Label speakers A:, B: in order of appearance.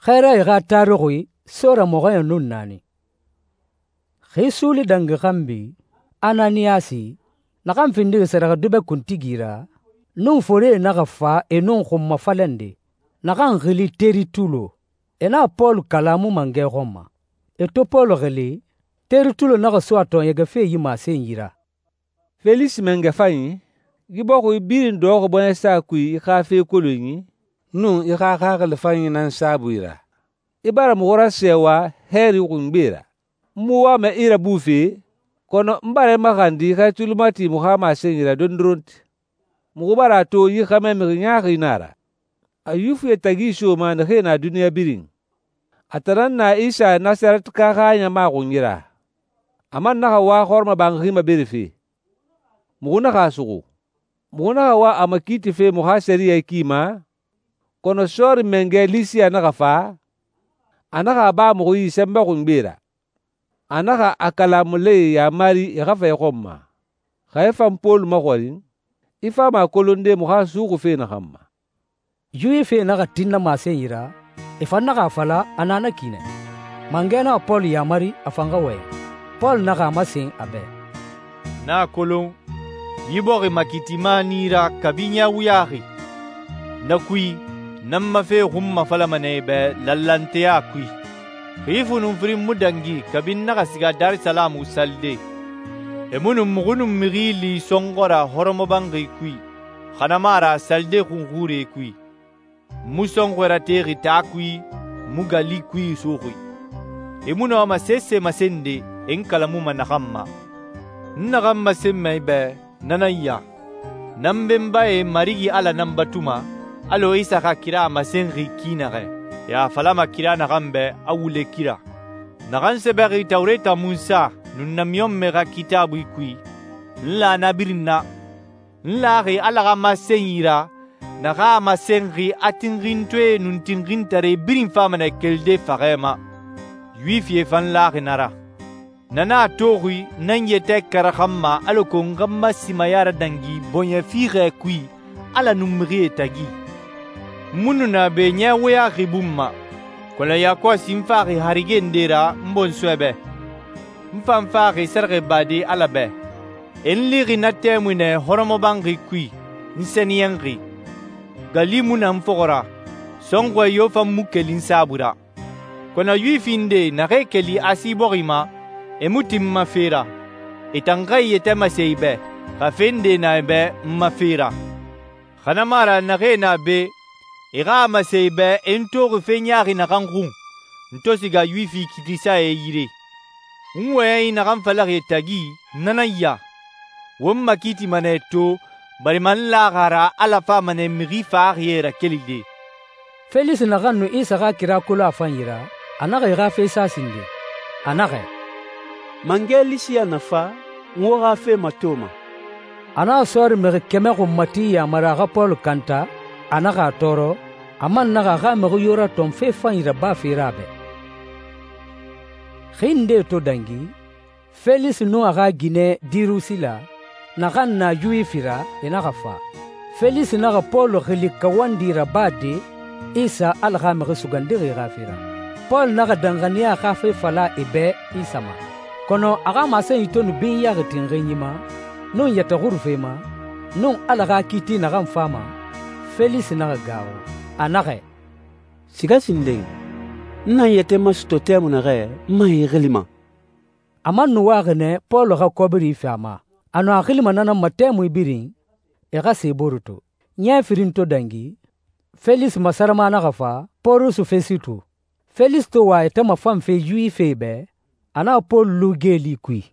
A: Xɛɛrae xa taruxui sora mɔxɔɲɛn nun naani. Xi suuli dangi xanbi, Ananiyasi, naxan findixi sɛrɛxɛdubɛ kuntigi ra, nun forie naxa fa e nun xunma falɛnde, naxan xili Teritulo. E naxa Pɔlu kalamu mangɛ xɔn ma. E to Pɔlu xili, Teritulo naxa so a tɔɔɲɛgɛfe yi masenyi ra.
B: «Felisi mangɛ fanyi, yi bɔxi birin dɔxɔxi bɔɲɛsa kui i xa fe kolonyi nun i xa xaxili fanyi nan saabui ra. I bara muxu rasɛɛwa hɛɛri xungbe ra. N mu wama i rabufe, kɔnɔ n bara i maxandi xa i tuli mati muxu xa masenyi ra dondoronti. Muxu bara a to yi xɛmɛ mixi ɲaaxi nan a ra, a Yuwifie tagi isoma naxee na duniɲa birin. A tan nan na Isa Nasarɛtika xa ɲama xunyi ra. A man naxa wa hɔrɔmɔbanxi maberefe. Muxu naxa a suxu. Muxu naxa wa a makiitife muxu xa sɛriyɛ ki ma, kɔnɔ sɔɔri mangɛ Lisiya naxa fa, a naxa a ba muxu yi sɛnbɛ xungbe ra. A naxa a kalamulae yamari e xa fa i xɔn ma. Xa i fan Pɔlu maxɔrin, i fama a kolonde muxu a suxuxi fe naxan ma.»
A: Yuwifie naxa tin na masenyi ra, e fan naxa a fala a na na ki nɛ. Mangɛ naxa Pɔlu yamari a fan xa wɔyɛn. Pɔlu naxa a masen a bɛ,
C: «N a kolon yi bɔxi makiitima nan i ra kabi ɲɛ wuyaxi. Na kui, n ma fe xunmafalama nɛ i bɛ lanlanteya kui. Xi funun firin mu dangi kabi n naxa siga Darisalamu salide. E mu nu muxu nun mixi li sɔnxɔ ra hɔrɔmɔbanxi kui, xa na mu a ra salide xunxurie kui. N mu sɔnxɔɛ ratexi taa kui, n mu gali kui suxui. E mu nɔma sese masende e n kalamuma naxan ma. N naxan masenma i bɛ, na nan ya: Nan benbae Marigi Ala nan batuma, alɔ Isa xa kira a masenxi ki naxɛ. E a falama kira naxan bɛ a wule kira. Naxan sɛbɛxi Tawureta Munsa nun namiɲɔnmɛ xa Kitaabui kui, n la na birin na. N laxi Ala xa masenyi ra, naxa a masenxi a tinxintɔɛe nun tinxintaree birin fama nɛ kelide faxɛ ma. Yuwifie fan laxi na ra. Na nan a toxi nan yɛtɛ karaxanma alako n xa n ma simaya radangi bɔɲɛ fiixɛ kui Ala nun mixie tagi. N mu nu na be ɲɛ wuyaxi bun ma, kɔnɔ yakɔsi n faxi harige nde ra n bɔnsɔɛ bɛ. N fan faxi sɛrɛxɛbade Ala bɛ. E n lixi na tɛmui nɛ hɔrɔmɔbanxi kui, n sɛniyɛnxi. Gali mu na n fɔxɔ ra, sɔnxɔɛ yo fan mu keli n saabui ra. Kɔnɔ Yuwifi nde naxee keli Asi bɔxi ma, e mu tin n ma fe ra. E tan xa e yɛtɛ masen i bɛ, xa fe nde na e bɛ n ma fe ra. Xa na mu a ra naxee na be, e xa a masen i bɛ e n toxi fe ɲaaxi naxan xun, n to siga Yuwifi kiitisae yire. N wɔyɛnyi naxan falaxi e tagi, na nan ya: Won makiitima nɛ to, barima n laxi a ra Ala fama nɛ mixi faxaxie rakelide.»
A: Felisi naxan nu Isa xa kira kolon a fanyi ra, a naxa e xa fe sa sinden. A naxɛ,
D: «Mangɛ Lisiya na fa, n wo xa fe matoma.»
A: A naxa sɔɔri mixi 100 xunmati yamari a xa Pɔlu kanta, a naxa a tɔɔrɔ, a man naxa a xa mixi yo ratɔn fe fanyi rabafe ra a bɛ. Xi nde to dangi, Felisi nun a xa ginɛ Dirusila, naxan na Yuwifi ra, e naxa fa. Felisi naxa Pɔlu xili kawandi rabade Isa Ala xa mixi sugandixi xa fe ra. Pɔlu naxa danxaniya xa fe fala e bɛ Isa ma, kɔnɔ a xa masenyi to nu binyaxi tinxinyi ma, nun yɛtɛ xurufe ma, nun Ala xa kiiti naxan fama, Felisi naxa gaaxu. A naxɛ,
D: «Siga sinden, n na n yɛtɛ masutɔ tɛmui naxɛ n man i xilima.»
A: A man nu waxi nɛ Pɔlu xa kɔbiri fi a ma. A nu a xilima na nan ma tɛmui birin, e xa se boore to. Ɲɛ firin to dangi, Felisi masarama naxa fa Pɔrusu Fɛsitu. Felisi to wa a yɛtɛ mafanfe Yuwifie bɛ, a naxa Pɔlu lu geeli kui.